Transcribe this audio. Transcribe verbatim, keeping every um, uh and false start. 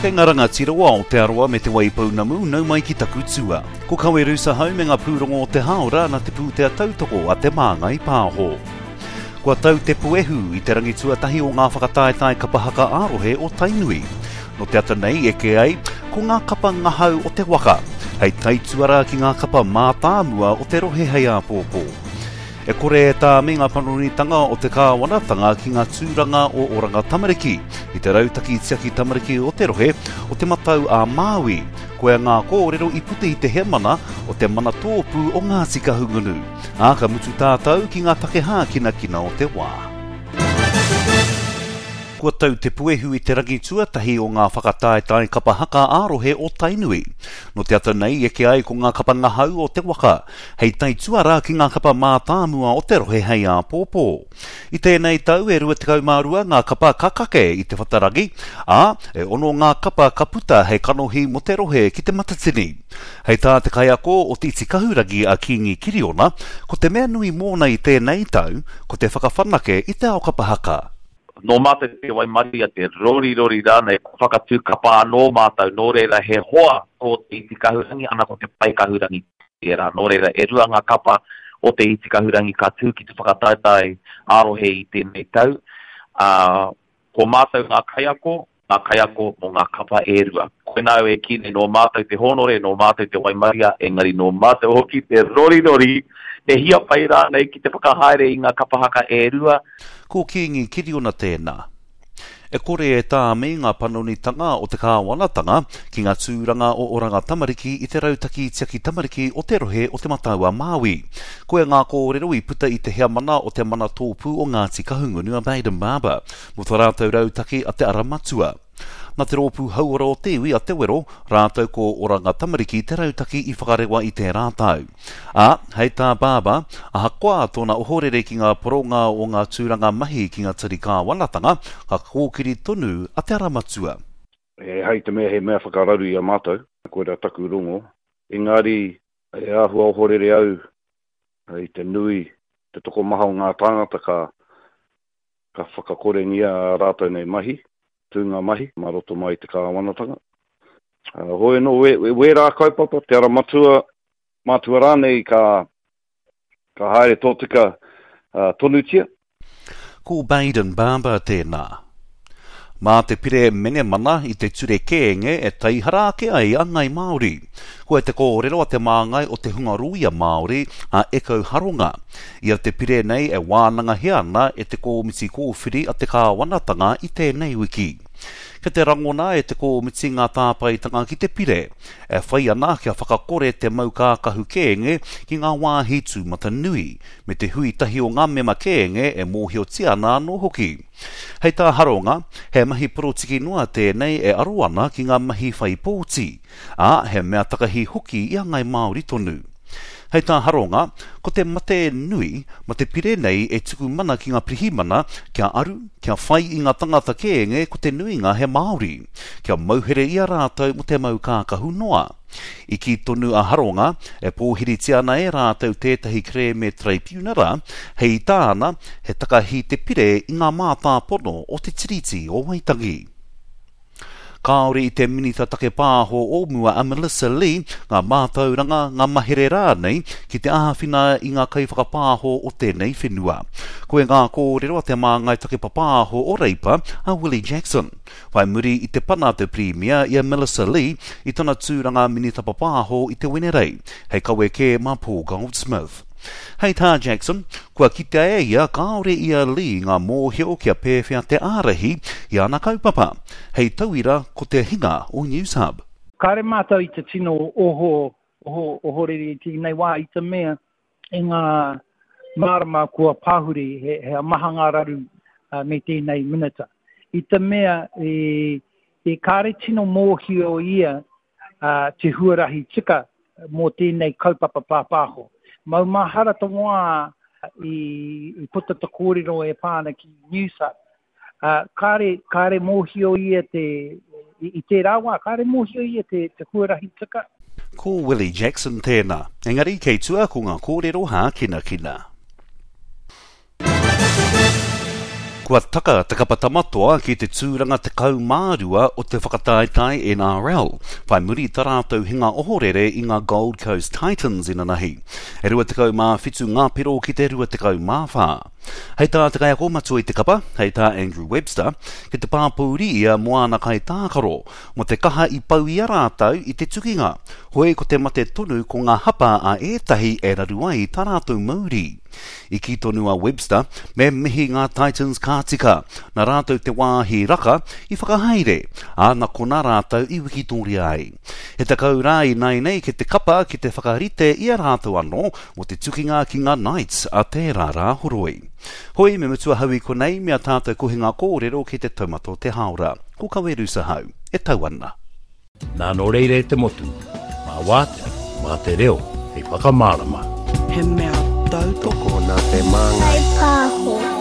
Kei ngā rangatira o Aotearoa me Te Waipounamu, nau mai ki taku tua. Ko Kawe Ahau me ngā pūrongo o te hāora na te pūtea tautoko a Te Māngai Pāho. Kua tau te puehu i te rangi tuatahi o ngā whakataetae kapa haka ā-rohe o Tainui. No te ata nei eke ai, ko ngā kapa ngahau o te waka, hei taituara ki ngā kapa mātāmua o te rohe hei āpōpō. E kore e tāmi ngā panonitanga o te kāwanatanga ki ngā tūranga o Oranga Tamariki, i te rautaki tiaki tamariki o te rohe o Te Matau a Māui. Koia ngā kōrero i puta i te heamana o te mana tōpū o Ngāti Kahungunu. Ā, ka mutu tātou ki ngā take hākinakina o te wā. Kua tau te puehu i te rangi tuatahi o ngā whakataetae kapa haka ā-rohe o Tainui. No te ata nei eke ai ko ngā kapa ngahau o te waka, hei taituara ki ngā kapa mātāmua o te rohe hei āpōpō. I tēnei tau e rua tekau mā rua ngā kapa ka kake i te whatarangi, ā, e ono ngā kapa ka puta hei kanohi mō te rohe ki te Matatini. Hei tā te kaiako o Te Iti Kahurangi a Kingi Kiriona, ko te mea nui mōna i tēnei tau, ko te whakawhanake i te ao kapa haka. Nō mātou te waimaria, te rorirori rānei, ko whakatū kapa anō mātou, nō reira he hoa tō Te Iti Kahurangi, ana ko te Pae Kahurangi tērā. Nō reira, e rua ngā kapa o Te Iti Kahurangi ka tū ki te whakataetae ā-rohe i tēnei tau. Uh, ko mātou ngā kaiako, ngā kaiako mō ngā kapa e rua. Koinā au e kī nei, nō mātou te hōnore, nō mātou te waimaria, engari nō mātou hoki te rorirori, te hiapai rānei ki te whakahaere i ngā kapa haka e rua. Ko Kingi Kiriona tēnā. E kore e tāmi ngā panonitanga o te kāwanatanga ki ngā tūranga o Oranga Tamariki i te rautaki tiaki tamariki o te rohe o Te Matau a Māui. Koia ngā kōrero i puta i te heamana o te mana tōpū o Ngāti Kahungunu a Baden Barber, mō tā rātou rautaki a Te Ara Matua. Nā te rōpū hauora o te iwi a Te Wero, rātou ko Oranga Tamariki te rautaki i whakarewa i tērā tau. Ā, hei tā Barber, ahakoa tōna ohorere ki ngā poronga o ngā tūranga mahi ki ngā tari kāwanatanga, ka kōkiri tonu a Te Ara Matua. E hai te mea he mea whakararu i a mātou, koira taku rongo. Engari, e āhua ohorere au i te nui, te tokomaha o ngā tāngata ka, ka whakakorengia a rātou nei mahi, tūnga mahi, mā roto mai i te kāwanatanga. Uh, hoi anō, we, we, wērā kaupapa, Te Ara Matua, mātua rānei ka, ka haere tōtika uh, tonutia. Ko Baden Barber tēnā. Mā te pire menemana i te ture kēnge e taihara ake ai a Ngai Māori. Koe te kōrero a te māngai o te hunga rōia Māori a Eko Haronga. Ia te pire nei e wānangahia ana e te kōmiti kōwhiri a te kāwanatanga i tēnei wiki. Ke te rangona e te kōmiti ngā tāpaetanga ki te pire, e whai ana kia whakakore te mau kākahu kēnge ki ngā wāhi tūmata nui, me te hui tahi o ngā mema kēnge e mōhiotia ana anō hoki. Hei tā Haronga, he mahi porotiki noa tēnei e aro ana ki ngā mahi whai pōti, ā, he mea takahi hoki i a Ngai Māori tonu. Hei tā Haronga, ko te mate nui, ma te pire nei e tuku mana ki ngā pirihimana kia aru, kia whai i ngā tangata kēnge ko te nuinga he Māori, kia mauhere i a rātou mo te mau kākahu noa. I kī tonu a Haronga, e pōhiritia ana e rātou tētahi kerēme traipiunara, hei tāna, he takahi te pire i ngā mātāpono o te Tiriti o Waitangi. Kāore i te minita take pāho o mua a Melissa Lee, ngā mātauranga, ngā mahere rānei ki te āwhina i ngā kaiwhakapāho o tēnei whenua. Koe ngā kōrero a te māngai take papāho o Reipa a Willie Jackson. Whai muri i te pana te Premier i a Melissa Lee i tana tūranga minita papāho i te Wenerei, hei kawe kē mā Paul Goldsmith. Hei tā Jackson, kua kitea e ia kāore i a Lee ngā mōhio kia pēwhea te ārahi i ana kaupapa. Hei tauira ko te hinga o Newshub. Kāre mātou i te tino oho, oho, ohorere i tēnei wā i te mea e ngā marama kua pahuri he, he maha ngā raru uh, me tēnei minita. I te mea e, e kāre tino mōhio ia uh, te huarahi tika mō tēnei kaupapa pāpāho. Mau mahara te wā i, i puta te kōrero e pāna ki Newshub. Uh, kāre, kāre mōhio ia te, i, i tērā wā, kāre mōhio ia te, te huarahi tika. Ko Willie Jackson tēnā. Engari kei tua ko ngā kōrero hākinakina. Kua taka te kapa Tamatoa ki te tūranga tekau mā rua o te whakataetae N R L, whai muri i tā rātou hinga ohorere i ngā Gold Coast Titans inanahi. E rua tekau mā whitu ngā piro ki te rua tekau mā whā. Hei tā te kaiako matua i te kapa, hei tā Andrew Webster, ki te pāpōuri ia mō āna kaitākaro, mō te kaha i pau i a rātou i te tukinga. Hoi ko te mate tonu ko ngā hapa a ētahi e raru ai tā rātou mauri. I kī tonu a Webster, me mihi ngā Titans ka tika, nā rātou te wāhi raka i whakahaere, ā, nā konā rātou i wikitoria ai. He tekau rā ināianei ki te kapa ki te whakarite i a rātou anō mō te tukinga ki ngā Knights a tērā Rāhoroi. Hoi, me mutu ahau i konei me a tātou kohinga kōrero ki te taumata o te hāora. Ko Kawerusa hau, e tau ana. Nā nō reira e te motu, mā wātea, mā te reo, hei whakamārama. He mea tautoko nā te māngai. Pāho.